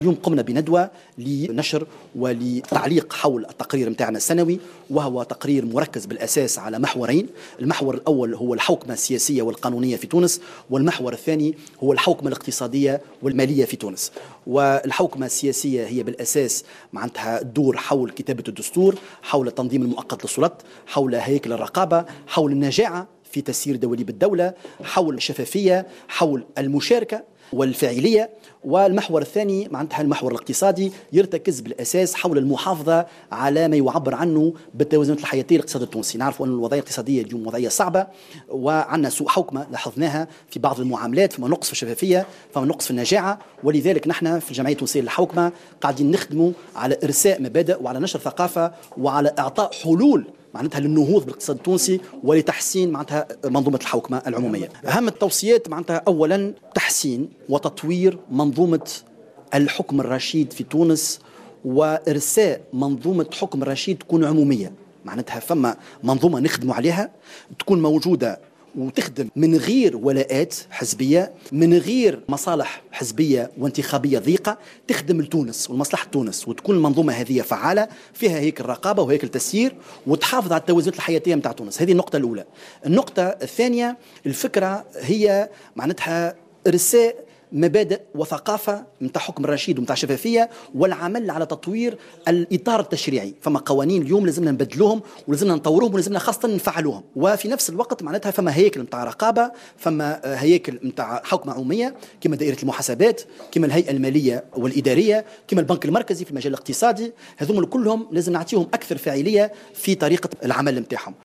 اليوم قمنا بندوة لنشر ولتعليق حول التقرير متاعنا السنوي، وهو تقرير مركز بالأساس على محورين. المحور الأول هو الحوكمة السياسية والقانونية في تونس، والمحور الثاني هو الحوكمة الاقتصادية والمالية في تونس. والحوكمة السياسية هي بالأساس معناتها تدور حول كتابة الدستور، حول التنظيم المؤقت للسلطات، حول هيكل الرقابة، حول النجاعة في تسيير دواليب الدولة، حول الشفافية، حول المشاركة والفاعلية. والمحور الثاني معناتها المحور الاقتصادي يرتكز بالأساس حول المحافظة على ما يعبر عنه بالتوازنات الحياتية للاقتصاد التونسي. نعرف أن الوضعية الاقتصادية اليوم وضعية صعبة، وعندنا سوء حوكمة لاحظناها في بعض المعاملات، فما نقص في الشفافية، فما نقص في النجاعة. ولذلك نحن في الجمعية التونسية للحوكمة قاعدين نخدموا على إرساء مبادئ وعلى نشر ثقافة وعلى إعطاء حلول معناتها للنهوض بالاقتصاد التونسي ولتحسين معناتها منظومة الحوكمة العمومية. أهم التوصيات معناتها أولا تحسين وتطوير منظومة الحكم الرشيد في تونس، وإرساء منظومة حكم رشيد تكون عمومية، معناتها فما منظومة نخدموا عليها تكون موجودة وتخدم من غير ولاءات حزبية، من غير مصالح حزبية وانتخابية ضيقة، تخدم لتونس ومصلحة تونس، وتكون المنظومة هذه فعالة فيها هيكل رقابة وهيكل تسيير وتحافظ على التوازنات الحياتية متاع تونس. هذه النقطة الأولى. النقطة الثانية، الفكرة هي معناتها إرساء مبادئ وثقافة متاع حكم الرشيد ومتاع شفافية، والعمل على تطوير الإطار التشريعي. فما قوانين اليوم لازمنا نبدلوهم ولازمنا نطوروهم ولازمنا خاصة نفعلوهم. وفي نفس الوقت معناتها فما هياكل متاع رقابة، فما هياكل متاع حكم عمومية كما دائرة المحاسبات، كما الهيئة المالية والإدارية، كما البنك المركزي في المجال الاقتصادي. هذوما كلهم لازم نعطيهم أكثر فاعلية في طريقة العمل متاعهم.